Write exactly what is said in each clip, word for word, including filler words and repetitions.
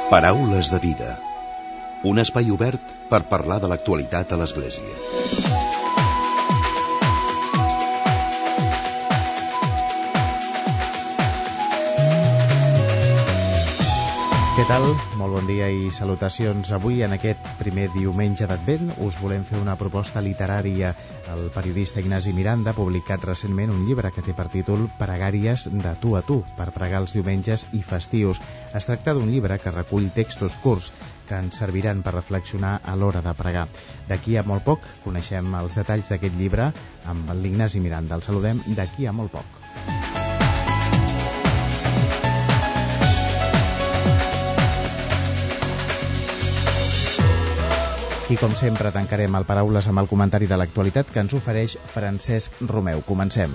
Paraules de vida. Un espai obert per parlar de l'actualitat a l'Església. Què tal? Molt bon dia i salutacions. Avui, en aquest primer diumenge d'Advent, us volem fer una proposta literària. El periodista Ignasi Miranda ha publicat recentment un llibre que té per títol Pregàries de tu a tu, per pregar els diumenges i festius. Es tracta d'un llibre que recull textos curts que ens serviran per reflexionar a l'hora de pregar. D'aquí a molt poc coneixem els detalls d'aquest llibre amb l'Ignasi Miranda. El saludem d'aquí a molt poc. I com sempre tancarem el Paraules amb el comentari de l'actualitat que ens ofereix Francesc Romeu. Comencem.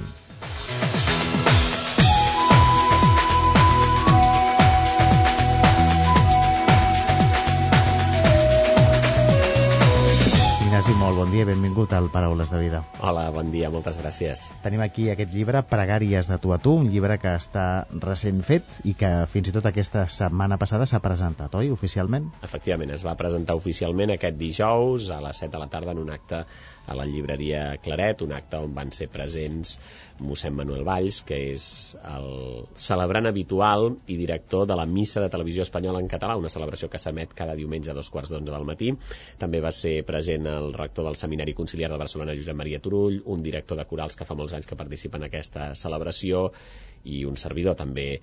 Ignasi, molt bon dia, benvingut al Paraules de Vida. Hola, bon dia, moltes gràcies. Tenim aquí aquest llibre, Pregàries de tu a tu, un llibre que està recent fet i que fins i tot aquesta setmana passada s'ha presentat, oi, oficialment? Efectivament, es va presentar oficialment aquest dijous a les set de la tarda en un acte a la llibreria Claret, un acte on van ser presents mossèn Manuel Valls, que és el celebrant habitual i director de la Missa de Televisió Espanyola en català, una celebració que s'emet cada diumenge a dos quarts d'onze del matí. També va ser present el rector del Seminari Conciliar de Barcelona, Josep Maria Turull, un director de corals que fa molts anys que participa en aquesta celebració i un servidor també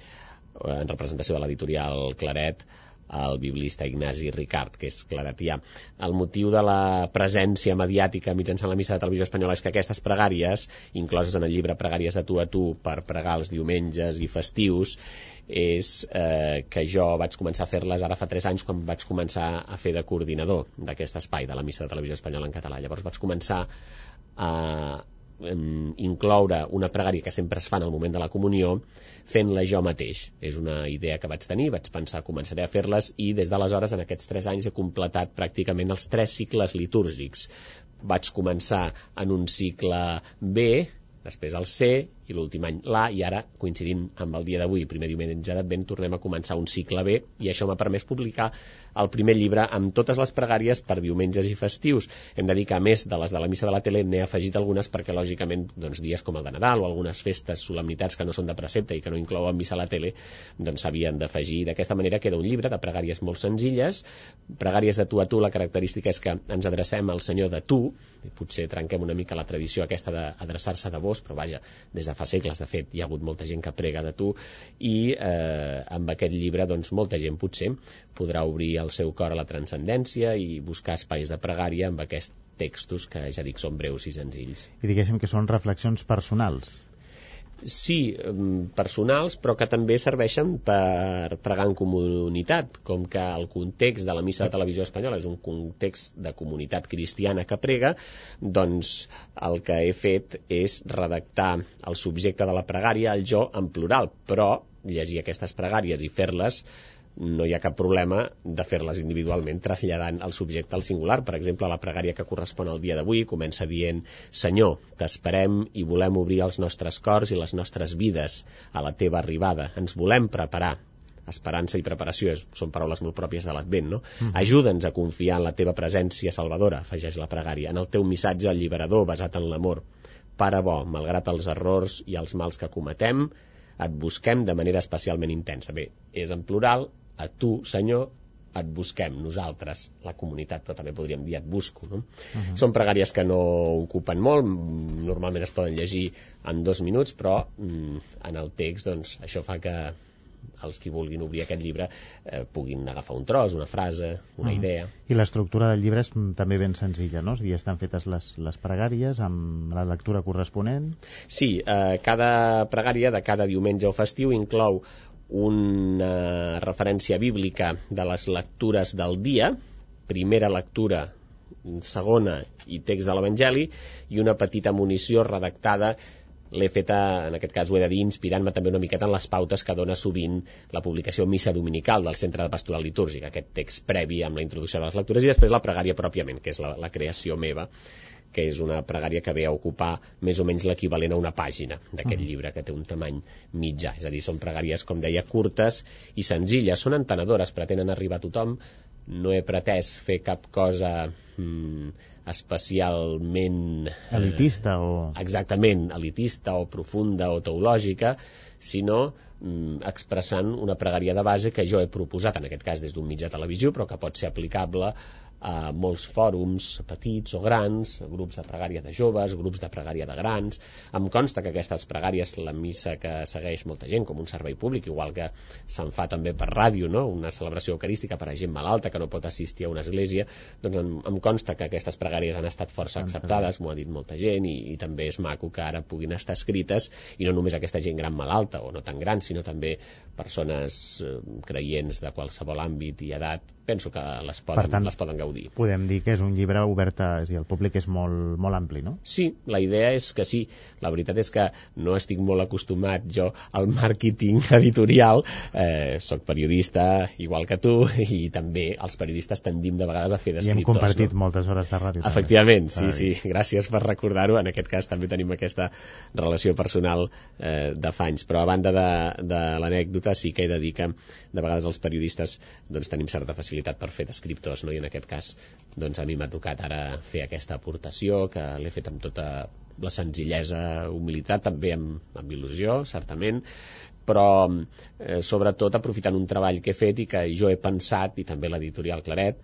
en representació de l'editorial Claret, el biblista Ignasi Ricard, que és claretià. El motiu de la presència mediàtica mitjançant la Missa de Televisió Espanyola és que aquestes pregàries, incloses en el llibre Pregàries de tu a tu per pregar els diumenges i festius, és eh, que jo vaig començar a fer-les ara fa tres anys quan vaig començar a fer de coordinador d'aquest espai de la Missa de Televisió Espanyola en català. Llavors vaig començar a incloure una pregària que sempre es fa en el moment de la comunió fent-la jo mateix. És una idea que vaig tenir, vaig pensar començaré a fer-les i des d'aleshores en aquests tres anys he completat pràcticament els tres cicles litúrgics. Vaig començar en un cicle B, després el C i l'últim any l'A, i ara, coincidint amb el dia d'avui, primer diumenge d'Advent, tornem a començar un cicle B, i això m'ha permès publicar el primer llibre amb totes les pregàries per diumenges i festius. Hem de dir que, a més de les de la Missa de la Tele, n'he afegit algunes perquè, lògicament, doncs, dies com el de Nadal o algunes festes, solemnitats que no són de precepte i que no inclouen Missa a la Tele, doncs s'havien d'afegir. D'aquesta manera queda un llibre de pregàries molt senzilles, pregàries de tu a tu. La característica és que ens adrecem al Senyor de tu, i potser trenquem una mica la tradició aquesta d'adreçar-se de vos, però vaja, des de fa segles, de fet, hi ha hagut molta gent que prega de tu, i eh, amb aquest llibre, doncs, molta gent potser podrà obrir el seu cor a la transcendència i buscar espais de pregària amb aquests textos que, ja dic, són breus i senzills. I diguéssim que són reflexions personals. Sí, personals, però que també serveixen per pregar en comunitat, com que el context de la Missa de Televisió Espanyola és un context de comunitat cristiana que prega, doncs el que he fet és redactar el subjecte de la pregària, el jo, en plural, però llegir aquestes pregàries i fer-les no hi ha cap problema de fer-les individualment traslladant el subjecte al singular. Per exemple, la pregària que correspon al dia d'avui comença dient: Senyor, t'esperem i volem obrir els nostres cors i les nostres vides a la teva arribada. Ens volem preparar. Esperança i preparació és, són paraules molt pròpies de l'Advent, no? Mm. Ajuda'ns a confiar en la teva presència salvadora, afegeix la pregària, en el teu missatge alliberador basat en l'amor. Pare bo, malgrat els errors i els mals que cometem, et busquem de manera especialment intensa. Bé, és en plural, a tu, Senyor, et busquem, nosaltres, la comunitat, però també podríem dir et busco, no? Uh-huh. Són pregàries que no ocupen molt, normalment es poden llegir en dos minuts, però mm, en el text, doncs, això fa que els qui vulguin obrir aquest llibre eh, puguin agafar un tros, una frase, una uh-huh. idea. I l'estructura del llibre és també ben senzilla, no? I estan fetes les, les pregàries amb la lectura corresponent? Sí, eh, cada pregària de cada diumenge o festiu inclou una referència bíblica de les lectures del dia, primera lectura, segona i text de l'Evangeli, i una petita munició redactada, l'he feta, en aquest cas ho he de dir, inspirant-me també una miqueta en les pautes que dona sovint la publicació Missa Dominical del Centre de Pastoral Litúrgica, aquest text previ amb la introducció de les lectures, i després la pregària pròpiament, que és la, la creació meva, que és una pregària que ve a ocupar més o menys l'equivalent a una pàgina d'aquest llibre, que té un tamany mitjà. És a dir, són pregàries, com deia, curtes i senzilles, són entenedores, pretenen arribar a tothom. No he pretès fer cap cosa mm, especialment... elitista o... Exactament, elitista o profunda o teològica, sinó mm, expressant una pregària de base que jo he proposat, en aquest cas des d'un mitjà de televisió, però que pot ser aplicable a molts fòrums petits o grans, grups de pregària de joves, grups de pregària de grans. Em consta que aquestes pregàries, la missa que segueix molta gent com un servei públic, igual que se'n fa també per ràdio, no? Una celebració eucarística per a gent malalta que no pot assistir a una església, doncs em, em consta que aquestes pregàries han estat força acceptades, m'ho ha dit molta gent, i, i també és maco que ara puguin estar escrites, i no només aquesta gent gran malalta o no tan gran, sinó també persones eh, creients de qualsevol àmbit i edat. Penso que les poden, per tant, les poden gaudir. Podem dir que és un llibre obert a... És a dir, el públic és molt, molt ampli, no? Sí, la idea és que sí. La veritat és que no estic molt acostumat jo al màrqueting editorial. Eh, soc periodista, igual que tu, i també els periodistes tendim de vegades a fer d'escriptors. I hem compartit no? moltes hores de ràdio. Efectivament, també. sí, sí. Gràcies per recordar-ho. En aquest cas també tenim aquesta relació personal eh, de fa anys. Però a banda de, de l'anècdota, sí que he de dir que de vegades els periodistes doncs, tenim certa facilitat per fer d'escriptors, no? I en aquest cas doncs, a mi m'ha tocat ara fer aquesta aportació, que l'he fet amb tota la senzillesa, humilitat, també amb, amb il·lusió, certament, però eh, sobretot aprofitant un treball que he fet i que jo he pensat, i també l'editorial Claret,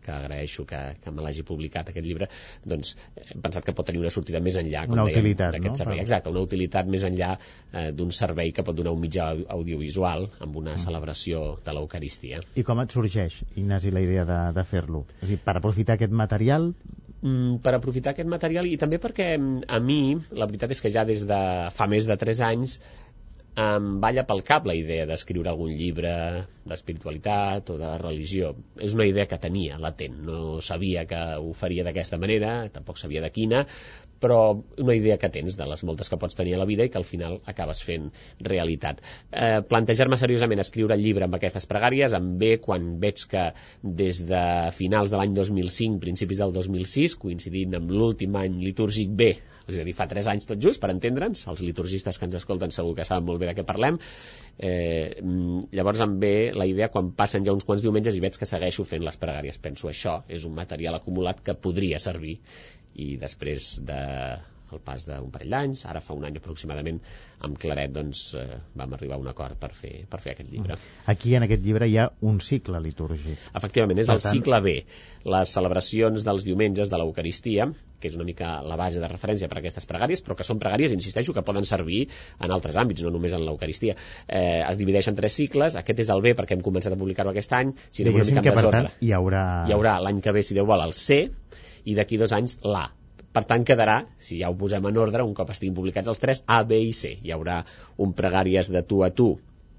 que agraeixo que, que me l'hagi publicat aquest llibre, doncs hem pensat que pot tenir una sortida més enllà, com una dèiem, utilitat, d'aquest no? servei. Exacte, una utilitat més enllà eh, d'un servei que pot donar un mitjà audiovisual amb una mm. celebració de l'Eucaristia. I com et sorgeix, Ignasi, la idea de, de fer-lo? És a dir, per aprofitar aquest material... Mm, per aprofitar aquest material i també perquè a mi, la veritat és que ja des de fa més de tres anys em balla pel cap la idea d'escriure algun llibre d'espiritualitat o de religió. És una idea que tenia latent, no sabia que ho faria d'aquesta manera, tampoc sabia de quina, però una idea que tens de les moltes que pots tenir a la vida i que al final acabes fent realitat. Eh, plantejar-me seriosament escriure el llibre amb aquestes pregàries em ve quan veig que des de finals de l'any dos mil cinc, principis del dos mil sis, coincidint amb l'últim any litúrgic B, és a dir, fa tres anys tot just, per entendre'ns, els liturgistes que ens escolten segur que saben molt bé de què parlem, eh, llavors em ve la idea quan passen ja uns quants diumenges i veig que segueixo fent les pregàries. Penso, això és un material acumulat que podria servir, i després de el pas d'un parell d'anys, ara fa un any aproximadament, amb Claret doncs, eh, vam arribar a un acord per fer, per fer aquest llibre. Aquí en aquest llibre hi ha un cicle litúrgic. Efectivament, és per el tant... cicle B, les celebracions dels diumenges de l'Eucaristia, que és una mica la base de referència per a aquestes pregàries, però que són pregàries, insisteixo, que poden servir en altres àmbits, no només en l'Eucaristia. Eh, es divideix en tres cicles, aquest és el B perquè hem començat a publicar-ho aquest any, si anem una mica en desordre. Hi haurà... Hi haurà l'any que ve, si Déu vol, el C, i d'aquí dos anys l'A. Per tant, quedarà, si ja ho posem en ordre, un cop estiguin publicats els tres, A, B i C. Hi haurà un pregàries de tu a tu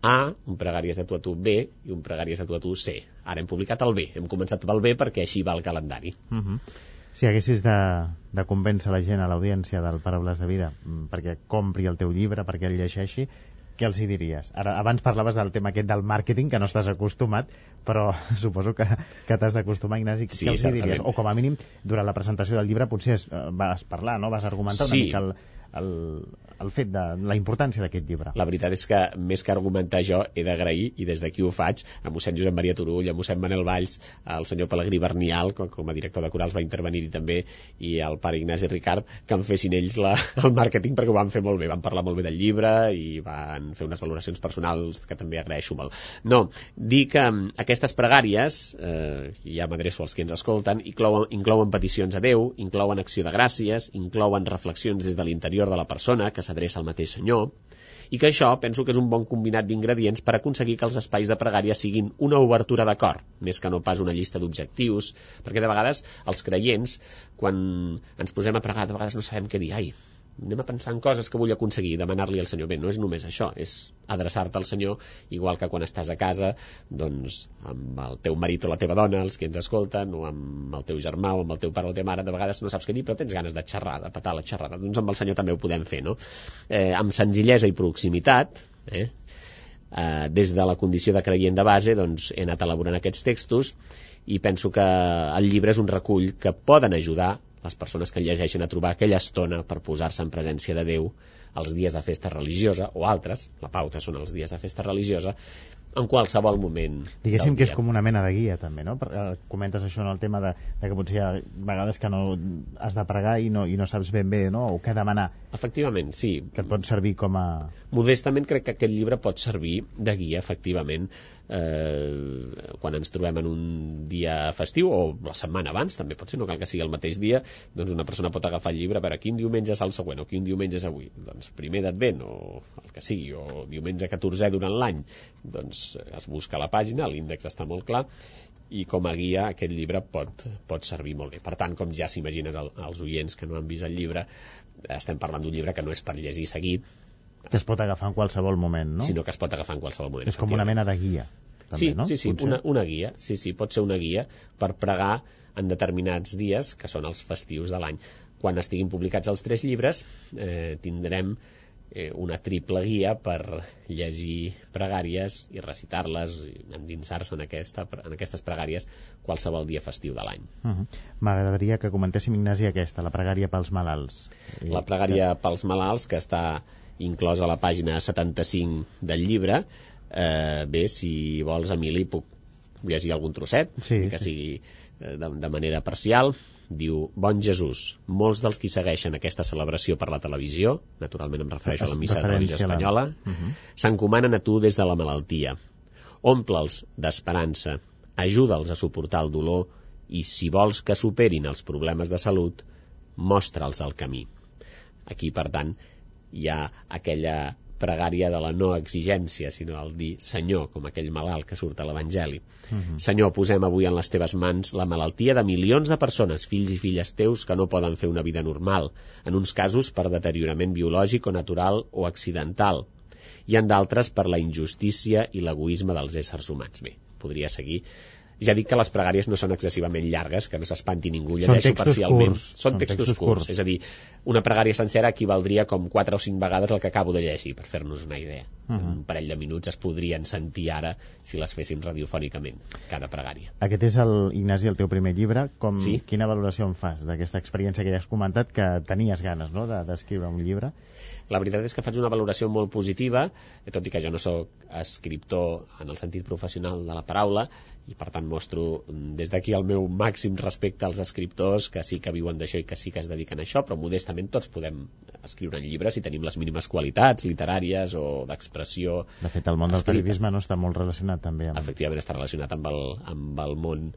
A, un pregàries de tu a tu B i un pregàries de tu a tu C. Ara hem publicat el B, hem començat pel B perquè així va el calendari. Uh -huh. Si haguessis de, de convèncer la gent, a l'audiència del Paraules de Vida, perquè compri el teu llibre, perquè el llegeixi, què els hi diries? Ara, abans parlaves del tema aquest del màrqueting, que no estàs acostumat, però suposo que, que t'has d'acostumar, Ignasi. Sí, què els hi diries? certament. O com a mínim, durant la presentació del llibre potser es, vas parlar, no? Vas argumentar Sí. una mica el, el, el fet de la importància d'aquest llibre. La veritat és que, més que argumentar jo, he d'agrair, i des d'aquí ho faig, a mossèn Josep Maria Turull, a mossèn Manel Valls, al senyor Pelegrí Bernial, com, com a director de corals va intervenir-hi també, i al pare Ignasi Ricard, que em fessin ells la, el màrqueting, perquè ho van fer molt bé, van parlar molt bé del llibre i van fer unes valoracions personals que també agraeixo molt. No, dir que aquestes pregàries, eh, ja m'adreço als que ens escolten, inclouen, inclouen peticions a Déu, inclouen acció de gràcies, inclouen reflexions des de l'interior de la persona que s'adreça al mateix Senyor, i que això penso que és un bon combinat d'ingredients per aconseguir que els espais de pregària siguin una obertura de cor, més que no pas una llista d'objectius, perquè de vegades els creients, quan ens posem a pregar, de vegades no sabem què dir. Ai, anem a pensar en coses que vull aconseguir, demanar-li al Senyor. Bé, no és només això, és adreçar-te al Senyor, igual que quan estàs a casa, doncs, amb el teu marit o la teva dona, els que ens escolten, o amb el teu germà o amb el teu pare o la teva mare, de vegades no saps què dir, però tens ganes de xerrar, de petar la xerrada. Doncs amb el Senyor també ho podem fer, no? Eh, amb senzillesa i proximitat, eh? Eh, des de la condició de creient de base, doncs, he anat elaborant aquests textos, i penso que el llibre és un recull que poden ajudar les persones que llegeixen a trobar aquella estona per posar-se en presència de Déu els dies de festa religiosa, o altres, la pauta són els dies de festa religiosa, en qualsevol moment Diguéssim del que és dia. com una mena de guia, també, no? Per, eh, comentes això en el tema de, de que potser hi ha vegades que no has de pregar i no, i no saps ben bé, no? O què demanar. Efectivament, sí. Que et pot servir com a... Modestament crec que aquest llibre pot servir de guia, efectivament, eh, quan ens trobem en un dia festiu, o la setmana abans, també pot ser, no cal que sigui el mateix dia, doncs una persona pot agafar el llibre, a veure, quin diumenge és el següent, o quin diumenge és avui, doncs primer d'Advent, o el que sigui, o diumenge catorzè durant l'any, doncs es busca la pàgina, l'índex està molt clar, i com a guia aquest llibre pot, pot servir molt bé. Per tant, com ja s'imagines el, els oients que no han vist el llibre, estem parlant d'un llibre que no és per llegir seguit, que es pot agafar en qualsevol moment, no? Sinó que es pot agafar en qualsevol moment. És com una mena de guia, també, sí, no? Sí, sí, Potser. una, una guia. Sí, sí, pot ser una guia per pregar en determinats dies, que són els festius de l'any. Quan estiguin publicats els tres llibres, eh, tindrem eh, una triple guia per llegir pregàries i recitar-les, i endinsar-se en, aquesta, en aquestes pregàries qualsevol dia festiu de l'any. Uh-huh. M'agradaria que comentéssim, Ignasi, aquesta, la pregària pels malalts. La pregària que... pels malalts, que està inclosa a la pàgina setanta-cinc del llibre. Eh, bé, si vols, Emili, puc llegir algun trosset, sí, que sí. sigui eh, de, de manera parcial. Diu: Bon Jesús, molts dels qui segueixen aquesta celebració per la televisió, naturalment em refereixo a la missa de televisió espanyola, uh-huh. s'encomanen a tu des de la malaltia. Omple'ls d'esperança, ajuda'ls a suportar el dolor i, si vols que superin els problemes de salut, mostra'ls el camí. Aquí, per tant, hi ha aquella pregària de la no exigència, sinó el dir Senyor, com aquell malalt que surt a l'Evangeli. Uh-huh. Senyor, posem avui en les teves mans la malaltia de milions de persones, fills i filles teus, que no poden fer una vida normal, en uns casos per deteriorament biològic o natural o accidental, i en d'altres per la injustícia i l'egoisme dels éssers humans. Bé, podria seguir. Ja dic que les pregàries no són excessivament llargues, que no s'espanti ningú, llegeixo parcialment. Curts. Són, són textos, textos curts. curts. És a dir, una pregària sencera equivaldria com quatre o cinc vegades el que acabo de llegir, per fer-nos una idea. Uh-huh. Un parell de minuts es podrien sentir ara si les féssim radiofònicament, cada pregària. Aquest és, el, Ignasi, el teu primer llibre. Com, sí? Quina valoració en fas d'aquesta experiència que ja has comentat, que tenies ganes, no?, d'escriure un llibre? La veritat és que faig una valoració molt positiva, tot i que jo no sóc escriptor en el sentit professional de la paraula, i per tant mostro des d'aquí el meu màxim respecte als escriptors que sí que viuen d'això i que sí que es dediquen a això, però modestament tots podem escriure en llibres si tenim les mínimes qualitats literàries o d'expressió. De fet, el món del periodisme no està molt relacionat també amb... Efectivament, està relacionat amb el, amb el món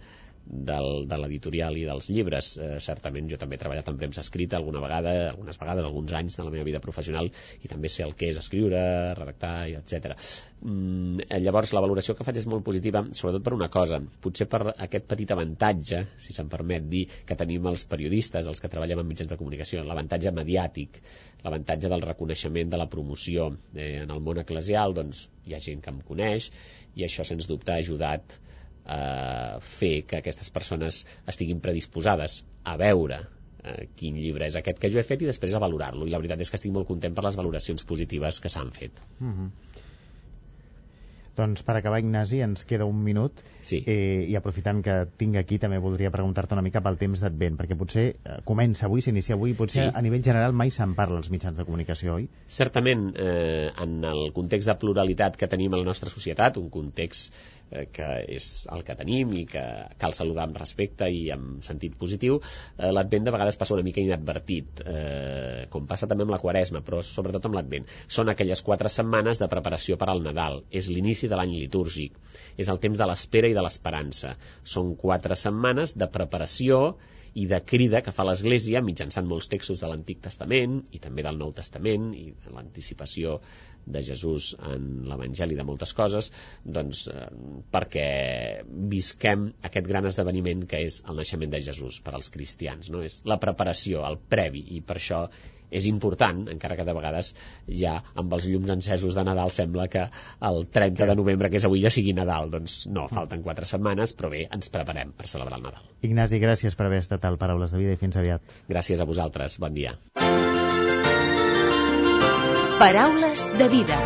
del, de l'editorial i dels llibres. Eh, certament jo també he treballat en premsa escrita alguna vegada, algunes vegades, alguns anys de la meva vida professional, i també sé el que és escriure, redactar, etcètera. Mm, llavors la valoració que faig és molt positiva, sobretot per una cosa, potser per aquest petit avantatge, si se'm permet dir, que tenim els periodistes, els que treballem en mitjans de comunicació, l'avantatge mediàtic, l'avantatge del reconeixement, de la promoció. Eh, en el món eclesial, doncs, hi ha gent que em coneix, i això sens dubte ha ajudat a fer que aquestes persones estiguin predisposades a veure eh, quin llibre és aquest que jo he fet i després a valorar-lo, i la veritat és que estic molt content per les valoracions positives que s'han fet. Uh-huh. Doncs per acabar, Ignasi, ens queda un minut, sí. eh, i aprofitant que tinc aquí també voldria preguntar-te una mica pel temps d'Advent, perquè potser eh, comença avui, s'inicia avui, potser sí. A nivell general mai se'n parla als mitjans de comunicació, oi? Certament, eh, en el context de pluralitat que tenim a la nostra societat, un context eh, que és el que tenim i que cal saludar amb respecte i amb sentit positiu, eh, l'Advent de vegades passa una mica inadvertit, eh, com passa també amb la Quaresma, però sobretot amb l'Advent. Són aquelles quatre setmanes de preparació per al Nadal, és l'inici de l'any litúrgic, és el temps de l'espera i de l'esperança. Són quatre setmanes de preparació i de crida que fa l'Església mitjançant molts textos de l'Antic Testament i també del Nou Testament i l'anticipació de Jesús en l'Evangeli de moltes coses, doncs eh, perquè visquem aquest gran esdeveniment que és el naixement de Jesús per als cristians, no? És la preparació, el previ, i per això és important, encara que de vegades ja amb els llums encesos de Nadal sembla que el trenta de novembre, que és avui, ja sigui Nadal. Doncs no, falten quatre setmanes, però bé, ens preparem per celebrar el Nadal. Ignasi, gràcies per haver estat al Paraules de Vida i fins aviat. Gràcies a vosaltres, bon dia. Paraules de Vida.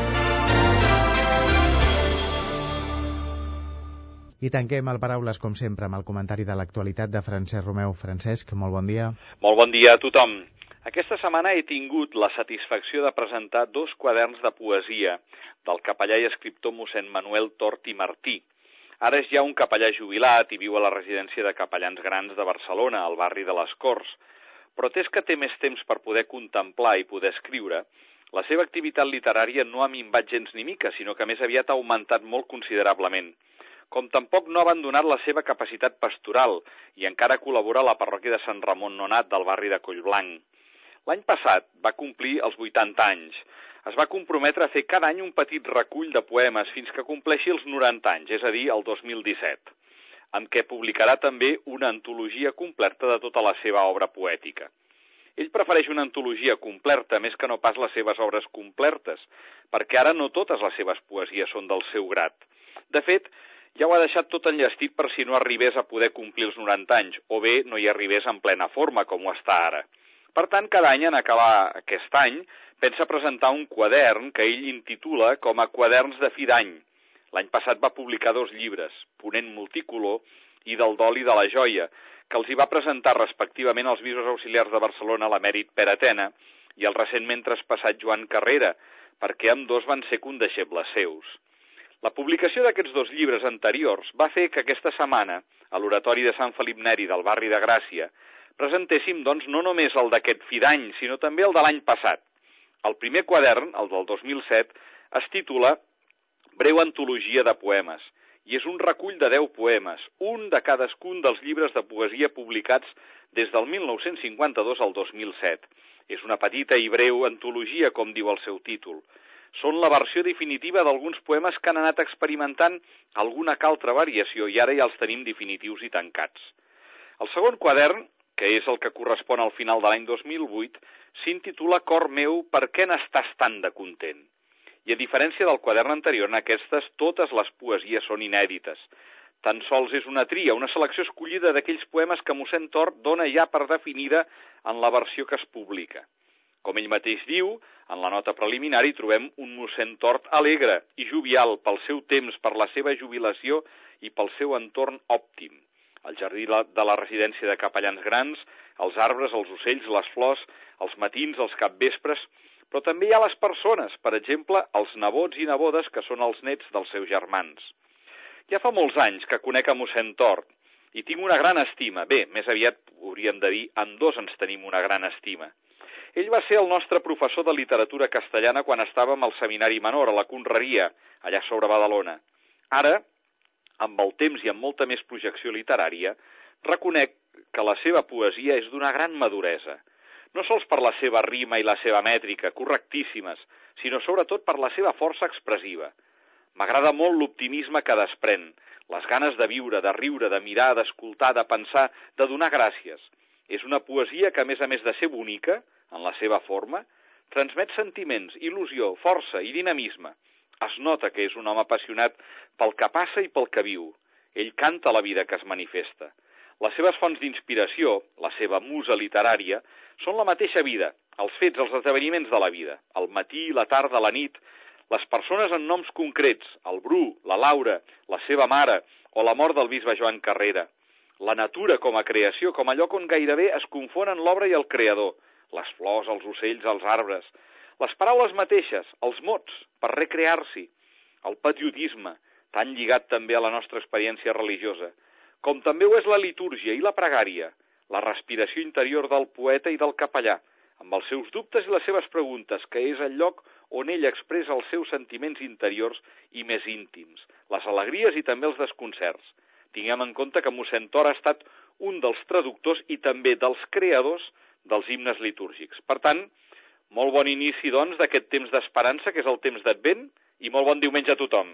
I tanquem el Paraules, com sempre, amb el comentari de l'actualitat de Francesc Romeu. Francesc, molt bon dia. Molt bon dia a tothom. Aquesta setmana he tingut la satisfacció de presentar dos quaderns de poesia del capellà i escriptor mossèn Manuel Tort i Martí. Ara és ja un capellà jubilat i viu a la residència de capellans grans de Barcelona, al barri de les Corts. Però atès que té més temps per poder contemplar i poder escriure, la seva activitat literària no ha minvat gens ni mica, sinó que més aviat ha augmentat molt considerablement. Com tampoc no ha abandonat la seva capacitat pastoral i encara col·labora a la parròquia de Sant Ramon Nonat del barri de Collblanc. L'any passat va complir els vuitanta anys. Es va comprometre a fer cada any un petit recull de poemes fins que compleixi els noranta anys, és a dir, el dos mil disset, en què publicarà també una antologia completa de tota la seva obra poètica. Ell prefereix una antologia completa més que no pas les seves obres completes, perquè ara no totes les seves poesies són del seu grat. De fet, ja ho ha deixat tot enllestit per si no arribés a poder complir els noranta anys, o bé no hi arribés en plena forma, com ho està ara. Per tant, cada any, en acabar aquest any, pensa presentar un quadern que ell intitula com a Quaderns de fi d'any. L'any passat va publicar dos llibres, Ponent Multicolor i Del dol i de la joia, que els hi va presentar respectivament als bisbes auxiliars de Barcelona, l'emèrit Pere Tena, i el recentment traspassat Joan Carrera, perquè ambdós van ser condeixebles seus. La publicació d'aquests dos llibres anteriors va fer que aquesta setmana, a l'oratori de Sant Felip Neri del barri de Gràcia, presentéssim, doncs, no només el d'aquest fi d'any, sinó també el de l'any passat. El primer quadern, el del dos mil set, es titula Breu antologia de poemes, i és un recull de deu poemes, un de cadascun dels llibres de poesia publicats des del mil nou-cents cinquanta-dos al dos mil set. És una petita i breu antologia, com diu el seu títol. Són la versió definitiva d'alguns poemes que han anat experimentant alguna que altra variació i ara ja els tenim definitius i tancats. El segon quadern, que és el que correspon al final de l'any dos mil vuit, s'intitula Cor meu, per què n'estàs tan de content? I a diferència del quadern anterior, en aquestes totes les poesies són inèdites. Tan sols és una tria, una selecció escollida d'aquells poemes que mossèn Tort dona ja per definida en la versió que es publica. Com ell mateix diu, en la nota preliminari trobem un mossèn Tort alegre i jovial pel seu temps, per la seva jubilació i pel seu entorn òptim. El jardí de la residència de capellans grans, els arbres, els ocells, les flors, els matins, els capvespres, però també hi ha les persones, per exemple, els nebots i nebodes que són els nets dels seus germans. Ja fa molts anys que conec a mossèn Tort i tinc una gran estima. Bé, més aviat hauríem de dir, ambdós ens tenim una gran estima. Ell va ser el nostre professor de literatura castellana quan estàvem al seminari menor, a la Conreria, allà sobre Badalona. Ara, amb el temps i amb molta més projecció literària, reconec que la seva poesia és d'una gran maduresa. No sols per la seva rima i la seva mètrica, correctíssimes, sinó sobretot per la seva força expressiva. M'agrada molt l'optimisme que desprèn, les ganes de viure, de riure, de mirar, d'escoltar, de pensar, de donar gràcies. És una poesia que, a més a més de ser bonica, en la seva forma, transmet sentiments, il·lusió, força i dinamisme. Es nota que és un home apassionat pel que passa i pel que viu. Ell canta la vida que es manifesta. Les seves fonts d'inspiració, la seva musa literària, són la mateixa vida, els fets, els esdeveniments de la vida, el matí, la tarda, la nit, les persones en noms concrets, el Bru, la Laura, la seva mare o la mort del bisbe Joan Carrera, la natura com a creació, com a lloc on gairebé es confonen l'obra i el creador, les flors, els ocells, els arbres, les paraules mateixes, els mots, per recrear-s'hi, el patriotisme, tan lligat també a la nostra experiència religiosa, com també ho és la litúrgia i la pregària, la respiració interior del poeta i del capellà, amb els seus dubtes i les seves preguntes, que és el lloc on ell expressa els seus sentiments interiors i més íntims, les alegries i també els desconcerts. Tinguem en compte que mossèn Tort ha estat un dels traductors i també dels creadors dels himnes litúrgics. Per tant, molt bon inici, doncs, d'aquest temps d'esperança, que és el temps d'Advent, i molt bon diumenge a tothom.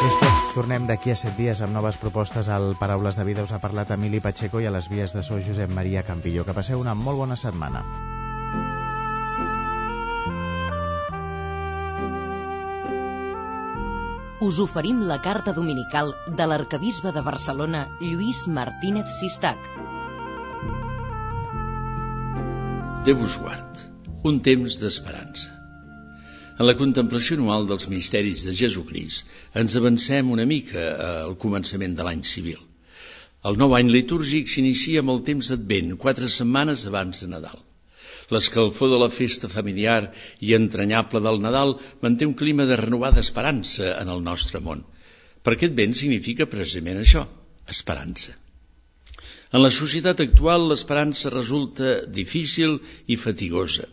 És tot. Tornem d'aquí a set dies amb noves propostes al Paraules de Vida. Us ha parlat Emili Pacheco i a les vies de so Josep Maria Campillo. Que passeu una molt bona setmana. Us oferim la carta dominical de l'arquebisbe de Barcelona, Lluís Martínez Sistac. Déu us guard, un temps d'esperança. En la contemplació anual dels misteris de Jesucrist ens avancem una mica al començament de l'any civil. El nou any litúrgic s'inicia amb el temps d'Advent, quatre setmanes abans de Nadal. L'escalfor de la festa familiar i entranyable del Nadal manté un clima de renovada esperança en el nostre món, perquè Advent significa precisament això, esperança. En la societat actual l'esperança resulta difícil i fatigosa.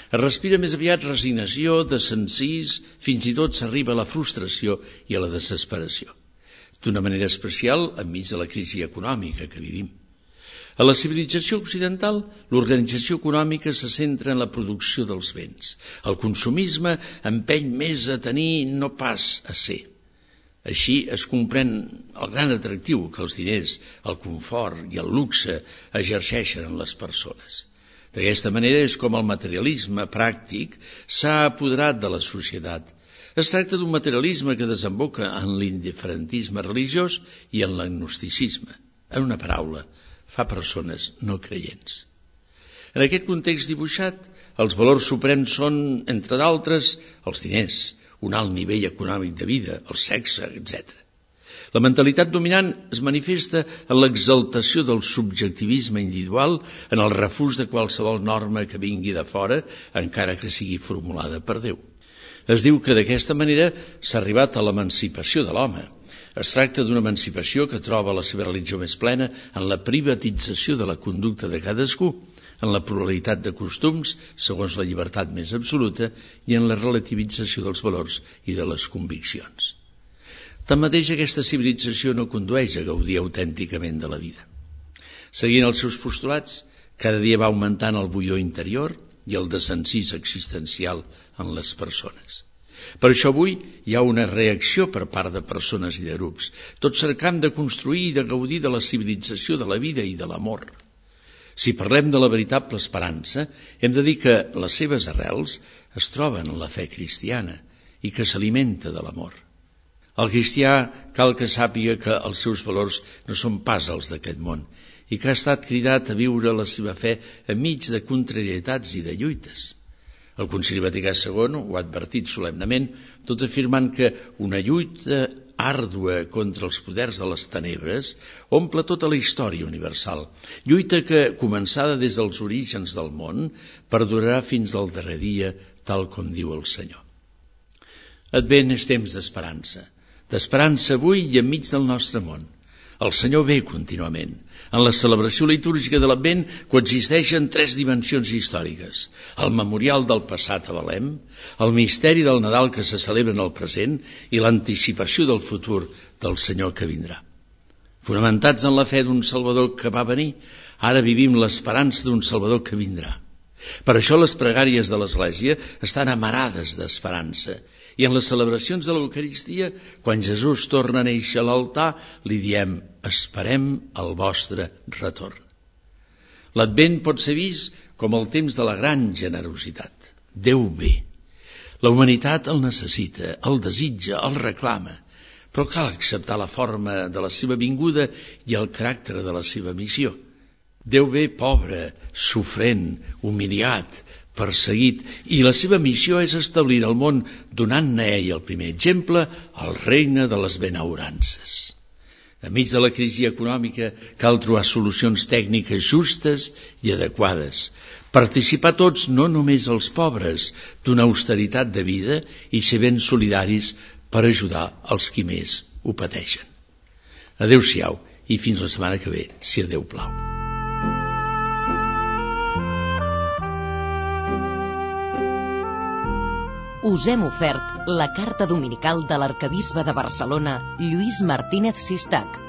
Es respira més aviat resignació, desencís, fins i tot s'arriba a la frustració i a la desesperació. D'una manera especial enmig de la crisi econòmica que vivim. A la civilització occidental, l'organització econòmica se centra en la producció dels béns. El consumisme empeny més a tenir, no pas a ser. Així es comprèn el gran atractiu que els diners, el confort i el luxe exerceixen en les persones. D'aquesta manera és com el materialisme pràctic s'ha apoderat de la societat. Es tracta d'un materialisme que desemboca en l'indiferentisme religiós i en l'agnosticisme. En una paraula, fa persones no creients. En aquest context dibuixat, els valors suprems són, entre d'altres, els diners, un alt nivell econòmic de vida, el sexe, etcètera. La mentalitat dominant es manifesta en l'exaltació del subjectivisme individual, en el refús de qualsevol norma que vingui de fora, encara que sigui formulada per Déu. Es diu que d'aquesta manera s'ha arribat a l'emancipació de l'home. Es tracta d'una emancipació que troba la seva religió més plena en la privatització de la conducta de cadascú, en la pluralitat de costums, segons la llibertat més absoluta, i en la relativització dels valors i de les conviccions. Tanmateix, aquesta civilització no condueix a gaudir autènticament de la vida. Seguint els seus postulats, cada dia va augmentant el bullor interior i el desencís existencial en les persones. Per això avui hi ha una reacció per part de persones i de grups, tots cercant de construir i de gaudir de la civilització de la vida i de l'amor. Si parlem de la veritable esperança, hem de dir que les seves arrels es troben en la fe cristiana i que s'alimenta de l'amor. El cristià cal que sàpiga que els seus valors no són pas els d'aquest món i que ha estat cridat a viure la seva fe enmig de contrarietats i de lluites. El Concili Vaticà segon ho ha advertit solemnament, tot afirmant que una lluita àrdua contra els poders de les tenebres omple tota la història universal. Lluita que, començada des dels orígens del món, perdurarà fins al darrer dia, tal com diu el Senyor. Advent és temps d'esperança, d'esperança avui i enmig del nostre món. El Senyor ve contínuament. En la celebració litúrgica de l'Advent coexisteixen tres dimensions històriques: el memorial del passat a Belém, el misteri del Nadal que se celebra en el present i l'anticipació del futur del Senyor que vindrà. Fonamentats en la fe d'un Salvador que va venir, ara vivim l'esperança d'un Salvador que vindrà. Per això les pregàries de l'Església estan amarades d'esperança. I en les celebracions de l'Eucaristia, quan Jesús torna a néixer a l'altar, li diem: esperem el vostre retorn. L'Advent pot ser vist com el temps de la gran generositat. Déu ve. La humanitat el necessita, el desitja, el reclama, però cal acceptar la forma de la seva vinguda i el caràcter de la seva missió. Déu ve pobre, sofrent, humiliat, perseguit, i la seva missió és establir al món, donant-ne a ell el primer exemple, el regne de les benaurances. Enmig de la crisi econòmica cal trobar solucions tècniques justes i adequades. Participar tots, no només els pobres, d'una austeritat de vida i ser ben solidaris per ajudar els qui més ho pateixen. Adéu-siau i fins la setmana que ve, si a Déu plau. Us hem ofert la carta dominical de l'arquebisbe de Barcelona, Lluís Martínez Sistac.